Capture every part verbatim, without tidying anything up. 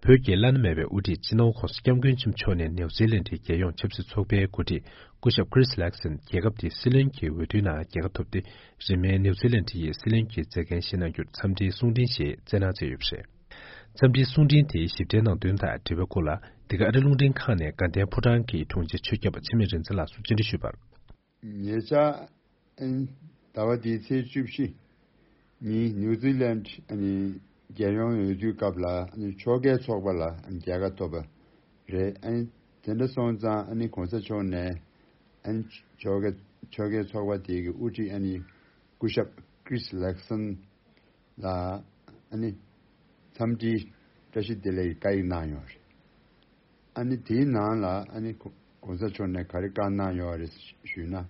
བོད་ཀྱི་བླ་ན་མེད་པའི་དབུ་ཁྲིད་སྤྱི་ནོར་༸གོང་ས་༸སྐྱབས་མགོན་ཆེན་པོ་མཆོག་ནས་ནེའུ་ཛི་ལན་གྱི་རྒྱལ་ཡོངས་ཆབ་སྲིད་ཚོགས་པའི་འགོ་ཁྲིད་སྐུ་ཞབས་ཁི་རིས་ལེག་སན་རྒྱལ་ཁབ་དེའི་སྲིད་བློན་གྱི་འོས་བསྡུའི་ནང་རྒྱལ་ཁ་ཐོབ་སྟེ། རིང་མིན་ནེའུ་ཛི་ལན་ཡི་སྲིད་བློན་གྱི་མཛད་འགན་བཞེས་གནང་རྒྱུར་འཚམས་འདྲིའི་གསུང་འཕྲིན་ཞིག་བསྩལ་གནང་མཛད་ཡོད་པ་རེད། འཚམས་འདྲིའི་གསུང་འཕྲིན་དེའི་ཞིབ་ཕྲའི་ནང་དོན་དང་འབྲེལ་བའི་སྐོར་ལ། འདི་ག་ཨ་རི་རླུང་འཕྲིན་ཁང་ནས་དགའ་ལྡན་ཕོ་བྲང་གི་དྲུང་ཆེ་ཆོས་སྐྱབས་འཆི་མེད་རིག་འཛིན་ལགས་སུ་བཅར་འདྲི་ཞུས་པར། ཉེ་ཆར། ཨ་ནི་ཟླ་བ་འདིའི་ཚེས་བཅུ་བཞི་ཉིན་ནིའུ་ཛི་ལན་ཨ་ནི་རྒྱལ་ཡོངས་འོས་བསྡུའི་སྐབས་ལ་ཨ་ནི་ཕྱོགས་འགལ་ཚོགས་པ་ལ་ཨ་ནི་རྒྱལ་ཁ་ཐོབ་པ་རེད། ཨ་ནི་དེ་འདྲ་སོང་ཙང་ཨ་ནི་གོང་ས་མཆོག་ནས་ཨ་ནི་ཕྱོགས་འགལ་ཕྱོགས་འགལ་ཚོགས་པ་དེ་གི་དབུ་ཁྲིད་ཨ་ནི་སྐུ་ཞབས་ཁི་རིས་ལེག་སན་ལ་ཨ་ནི་འཚམས་འདྲིའི་བཀྲ་ཤིས་བདེ་ལེགས་ཀྱི་བཀའ་ཡིག་གནང་ཡོད་རེད། ཨ་ནི་དེའི་ནང་ལ་ཨ་ནི་གོ་གོང་ས་མཆོག་ནས་ག་རེ་བཀའ་གནང་ཡོད་རེད་ཞུས་ན།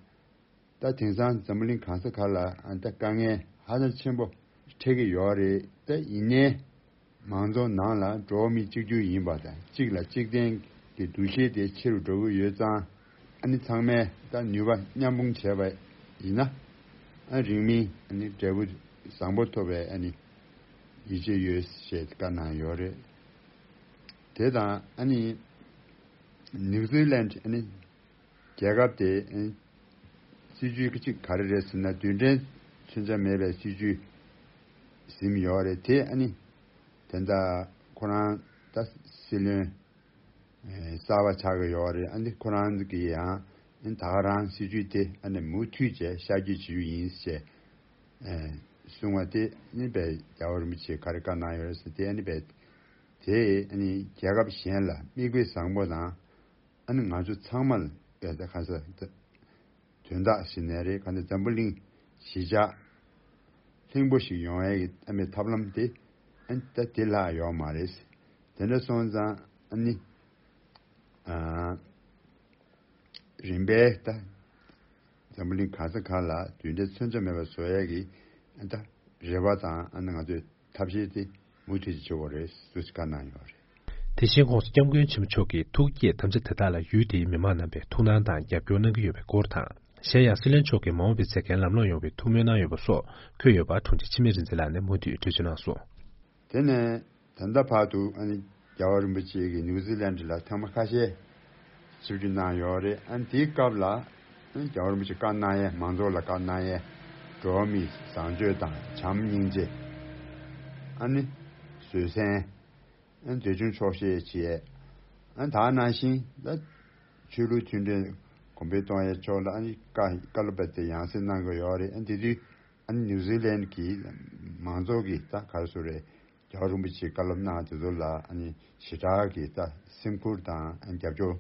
ད་དེང་སང་འཛམ་བུ་གླིང་གང་ས་ག་ལ་ཨ་ད་དཀའ་ངལ་ཧ་ཅང་ཆེན་པོ་འཕྲད་ཀྱི་ཡོད་རེད། ད་ཡིན་ནའི་མང་ཚོགས་ནང་ལ་འགྲོ་བ་མི་གཅིག་གྱུར་ཡིན་པ་དང་གཅིག་ལ་གཅིག་བརྟེན་གྱི་འདུ་ཤེས་དེ་ཆེ་རུ་འགྲོ་གི་ཡོད་ཙང་ཨ་ནི་ཚང་མས་ད་ནུས་པ་མཉམ་སྤུངས་བྱས་པ་ཡིན་ན་ཨ་རིང་མིན་ཨ་ནི་འབྲས་བུ་བཟང་པོ་ཐོབ་པའི་ཨ་ནི་ཡིད་ཆེས་ཡོད་ཞེས་བཀའ་གནང་ཡོད་རེད། དེ་དང་ཨ་ནི་ནིའུ་ཛི་ལན་ཨ་ནི་རྒྱལ་ཁབ་དེ་ཨ་ནི་སྲིད་ཇུས་གཅིག་ག་རེ་རེད་ཟེར་ན་རྡུལ་ཕྲན་མཚོན་ཆ་མེད་པའི་སྲིད་ཇུས་ཟིན་ཡོད་རེད། དེ་ཨ་ནི་དེ་འདྲ་ཁོ་རང་ད་སྲིད་བློན་ཨེ་གསར་པ་ཆགས་ཀྱི་ཡོད་རེད། ཨ་ནི་ཁོ་རང་གི་ཡང་ཨ་ནི་ད་ག་རང་སྲིད་ཇུས་དེ་ཨ་ནི་མུ་མཐུད་བྱས་ཤར་བསྐྱོད་བྱེད་རྒྱུ་ཡིན་ཞེས་ཨེ་གསུངས་པ་དེ་ཨ་ནི་དཔེ་རྒྱལ་བ་རིན་པོ་ཆེས་ག་རེ་བཀའ་གནང་ཡོད་རེད་ཟེར་དེ་ཨ་ནི་དཔེ་དེ་ཨ་ནི་རྒྱལ་ཁབ་གཞན་ལ་མིག་དཔེ་བཟང་པོ་དང་། ཨ་ནི་ང་ཚོ་ཚང་མ་ལ་དཔེ་ད་ག་ས་ད་དོན་དག་ཞིག་ནས་རེད། ག་ནས་འཛམ་བུ་གླིང་གཞིས་ཆགས་ལྷིང་པོ་ཞིག་ཡོང་ཡས་ཀྱི་ཨ་མའི་ཐབས་ལམ་དེ་ཨ་ནི་ད་དེ་ལྷག་ཡོད་མ་རེད། དེ་འདྲ་སོང་ཙང་ཨ་ནི་ཨ་རིམ་པས་ད་འཛམ་བུ་གླིང་ག་ས་ག་ལ་རྡུལ་ཕྲན་མཚོན་ཆ་མེད་པ་བཟོ་ཡས་ཀྱི་ཨ་ད་རེ་བ་དང་ཨ་ནི་ང་ཚོས་ཐབས་ཤེས་དེ་མུ་མཐུད་ཀྱིས་བྱེད་དགོས་རེད་ཟེར་བཀའ་གནང་ཡོད་རེད། དེ་བཞིན་༸གོང་ས་༸སྐྱབས་མགོན་ཆེན་པོ་མཆོག་གིས་ཐུགས་བསྐྱེད་དམ་བཅའ་དེ་དག་ལ་ཡུལ་དེའི་མི་མང་རྣམ་པས་ཐུགས་སྣང་དང་རྒྱབ་སྐྱོར་གནང་གི་ཡོད་པའི་སྐོར་དང་། གཞན་ཡང་སྲིད་བློན་མཆོག་གིས་མ་འོངས་པའི་མཛད་འགན་ལམ་ལྷོང་ཡོང་བའི་ཐུགས་སྨོན་གནང་ཡོད་པ་སོགས་འཁོད་ཡོད་པ་དྲུང་ཆེ་འཆི་མེད་རིག་འཛིན་ལགས་ནས་མུ་མཐུད་འགྲེལ་བརྗོད་གནང་སོང་། དེ་ནས་ད་ལྟ་བར་དུ་ཨ་ནི་རྒྱལ་བ་རིན་པོ་ཆེ་གིས་ནིའུ་ཛི་ལན་ལ་ཐེངས་མ་ཁ་ཤས་ཆིབས་བསྒྱུར་གནང་ཡོད་རེད། ཨ་ནི་དེའི་སྐབས་ལ་ཨ་ནི་རྒྱལ་བ་རིན་པོ་ཆེ་བཀའ་གནང་ཡས་མང་ཚོགས་ལ་བཀའ་གནང་ཡས་འགྲོ་བ་མིའི་བཟང་སྤྱོད་དང་བྱམས་སྙིང་རྗེ། ཨ་ནི་བཟོད་བསྲན། ཨ་ནི་འདོད་ཆུང་ཆོག་ཤེས་བྱེད་ཡས། ཨ་ནི་ད་ནང་བཞིན་ད་ཆོས་ལུགས་མཐུན་སྒྲིལ་གོང་འཕེལ་གཏོང་ཡས་ཕྱོགས་ལ་ཨ་ནི་བཀའ་བཀའ་སློབ་དཔེ་དེ་ཡང་སེ་གནང་གི་ཡོད་རེད། ཨ་ནི་དེ་དུས་ཨ་ནི་ནིའུ་ཛི་ལན་གྱི་མང་ཚོགས་ཀྱིས་ད་ག་རེ་ཟེར་རེད། རྒྱལ་བ་རིན་པོ་ཆེའི་བཀའ་སློབ་གནང་དེ་ཚོ་ལ་ཨ་ནི་ཞེ་དྲག་གི་ད་སེམས་ཁུར་དང་ཨ་ནི་རྒྱབ་སྐྱོར་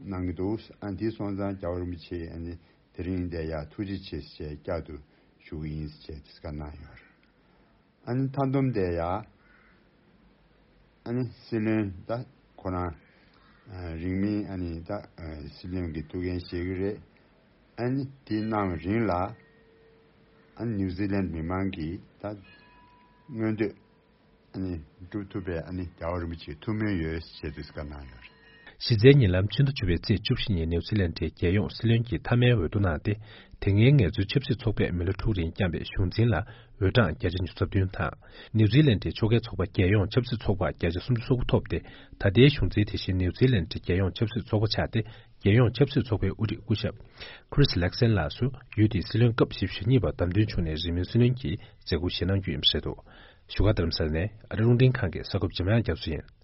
གནང་གི་འདུག་ཨ་ནི་དེ་སོང་ཙང་རྒྱལ་བ་རིན་པོ་ཆེ་ཨ་ནི་དེ་རིང་འདིར་ཡར་ཐུགས་རྗེ་ཆེ་ཞེས་བསྐྱར་དུ་ཞུ་གི་ཡིན་ཞེས་དེ་བཀའ་གནང་ཡོད་རེད། ཨ་ནི་མཐའ་སྡོམ་དེ་ཡ། ཨ་ནི་སྲིད་བློན་ད་ཁོ་རང་ཨ་རིང་མིན་ཨ་ནི་ད་ཨ་སྲིད་བློན་གྱི་ཐུགས་འགན་བཞེས་ཀྱི་རེད། ཨ་ནི་དེ་གནང་བའི་རིང་ལ་ཨ་ནི་ནིའུ་ཛི་ལན་མི་མང་གིས་ད་མངོན་འདོད་ཨ་ནི་སྒྲུབ་ཐུབ་པའི་ཨ་ནི་རྒྱལ་བ་རིན་པོ་ཆེའི་ཐུགས་སྨོན་ཡོད་ཅེས་དེ་བཀའ་གནང་ཡོད་རེད། གཞི་རྩའི་ཉེ་ལམ་ཕྱི་ཟླ་བཅུ་པའི་ཚེས་བཅུ་བཞི་ཉིན་ནིའུ་ཛི་ལན་གྱི་རྒྱལ་ཡོངས་སྲིད་བློན་གྱི་མཐའ་མའི་འོས་བསྡུ་གནང་སྟེ། དེ་སྔའི་ངལ་རྩོལ་ཆབ་སྲིད་ཚོགས་པས་མི་ལོ་དྲུག་རིང་བསྐྱངས་པའི་གཞུང་འཛིན་ལ་འོས་གྲངས་བརྒྱ་ཆ་ཉི་ཤུ་རྩ་བདུན་དང་། ནིའུ་ཛི་ལན་གྱི་ཕྱོགས་འགལ་ཚོགས་པ་རྒྱལ་ཡོངས་ཆབ་སྲིད་ཚོགས་པ་བརྒྱ་ཆ་སུམ་ཅུ་སོ་དགུ་ཐོབ་སྟེ། ད་ལྟའི་གཞུང་འཛིན་དེ་བཞིན་ནིའུ་ཛི་ལན་གྱི་རྒྱལ་ཡོངས་ཆབ་སྲིད་ཚོགས་པ་ཆགས་ཏེ། རྒྱལ་ཡོངས་ཆབ་སྲིད་ཚོགས་པའི་དབུ་ཁྲིད་སྐུ་ཞབས་ཁི་རིས་ལེག་སན་ལགས་སུ་ཡུལ་དེའི་སྲིད་བློན་སྐབས་བཞི་བཅུ་ཞེ་གཉིས་པར་བདམས་ཐོན་བྱུང་ནས་རིང་མིན་སྲིད་བློན་གྱི་མཛད་ཁུར་བཞེས་གནང་རྒྱུ་ཡིན་པ་རེད་འདུག་བཞུགས་སྒར་རྡ་རམ་ས་ལ་ནས་ཨ་རི་རླུང་འཕྲིན་ཁང་གི་གསར་འགོད་པ་འཇམ་དབྱངས་རྒྱ་མཚོ་ཡིན།